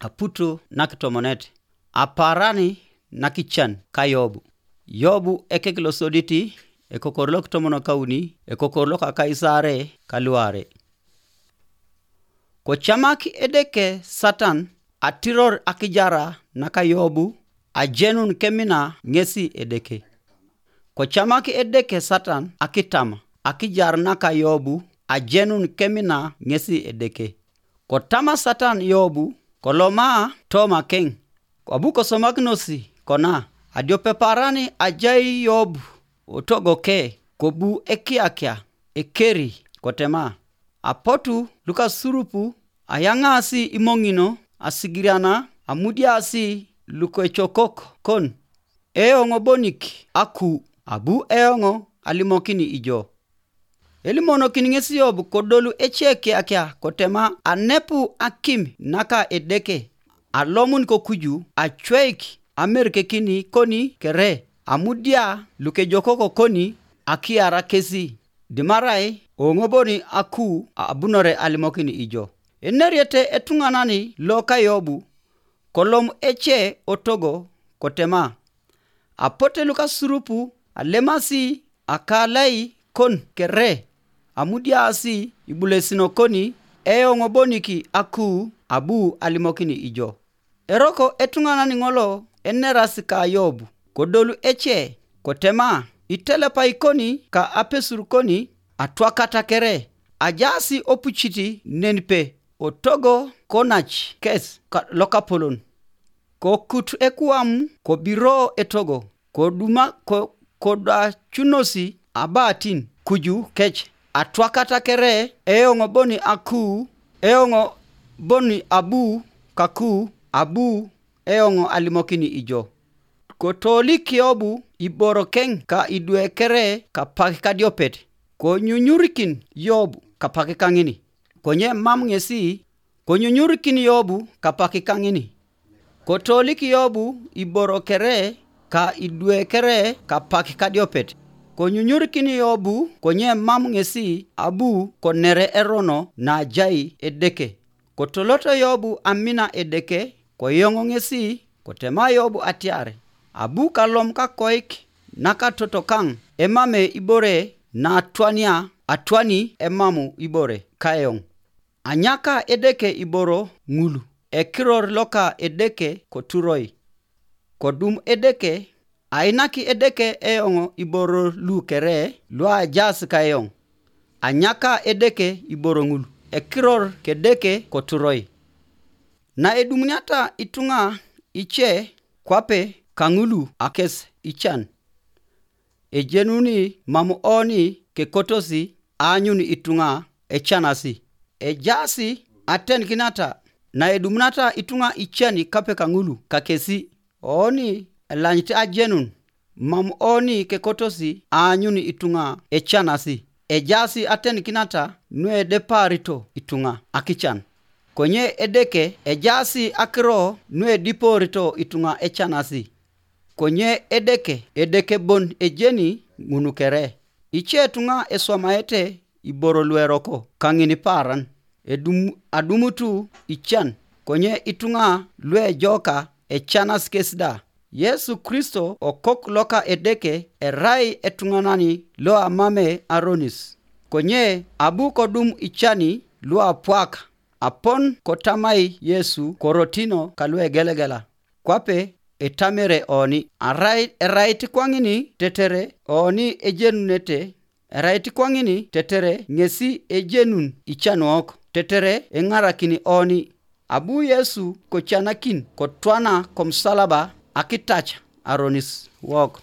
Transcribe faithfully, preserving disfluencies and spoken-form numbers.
aputu nakitomonet, aparani nakican ka Yobu. Yobu ekek losoditi, ekokor lokitomonokauni, ekokor lokakaisare kaluare. Kocamak Edeke Satan atiror akijara naka Yobu, ajenun kemina ŋesi Edeke. Kocamak Edeke Satan akitama akijar naka Yobu, ajenun kemina ŋesi Edeke. Kotama Satan Yobu, koloma toma keŋ. Abu kosomakinosi kona, adiope parani ajai Yobu otogoke, kobu ekiakia, ekeri, kotema. Apotu lukasurupu ayaŋaasi imoŋino, asigiriana, amudiaasi lukecokok kon, eoŋ bonik aku, abu eoŋ alimokini ijo. Elimonokin ŋes Yob kodolu ece kiakia kotema anepu akim naka Edeke, alomun kokuju acweik amerkekini koni kere, amudia lukejokoko koni akiara kesi, dimarai oŋoboni aku abunore alimokin ijo. Eneriete etuŋanani loka Yobu, kolom ece otogo kotema, apote lukasurupu alemasi akalai kon kere, amudiaasi ibulesino koni eoŋ bonik aku abu alimokini ijo. Eroko etuŋanan ŋolo enerasi ka Yob, kodolu ece, kotema, itelepai koni ka apesur koni atwakata kere, ajaasi opucit nenpe, otogo konac kes lokapolon. Kokut ekuam kobiro etogo, koduma ko, kodacunosi abatin kuju kec, atwakata kere, eoŋ boni aku, eoŋ boni abu kaku, abu eoŋ alimokini ijo. Kotolik Yobu iborokeŋ ka idwe kere kapak kadiopet, konyunyurikin Yobu kapak kaŋini. Konye mam ŋesi, konyunyurikin Yobu kapak kaŋini. Kotolik Yobu iboro kere ka idwe kere kapak kadiopet, konyunyurikin Yobu konye mam ŋesi abu konere erono najai Edeke. Kotoloto Yobu amina Edeke, koyoŋo ŋesi, kotema Yobu atiar, abu kalom kakoik nakatotokaŋ emame ibore natwania atwani emamu ibore kaeoŋ. Anyaka Edeke iboro ŋul, ekiror loka Edeke koturoi. Kodum Edeke, ainaki Edeke eoŋ iboro lu kere luajaas kaeoŋ. Anyaka Edeke iboro ŋul, ekiror k'Edeke koturoi. Naedumuniata ituŋa ice kwape kaŋulu akes ican, ejenuni mam oni kekotosi aanyun ituŋa ecanasi. Ejaasi atenikinata naedumunata ituŋa ican kwape kaŋulu kakesi, oni elanyit ajenun, mam oni kekotosi aanyun ituŋa ecanasi. Ejaasi atenikinata nuedeparito ituŋa akican. Konye Edeke ejaasi akiro nuediporito ituŋa ecanasi. Konye Edeke, Edeke bon ejeni ŋun kere. Ice ituŋa eswamaete iboro lueroko kaŋin paaran, edum, adumutu ican, konye ituŋa luejoka ecanas kes da. Yesu Kristo okok loka Edeke erai etuŋanani loamame aronis. Konye abu kodum icani luapwak, apon kotamai Yesu korotino kaluegelegela, kwape etamere oni, arai erait kwaŋini tetere oni ejenunete, erait kwaŋini tetere ŋesi ejenun icanuok, tetere eŋarakin oni. Abu Yesu kocanakin kotwana komusalaba akitac aronis wok.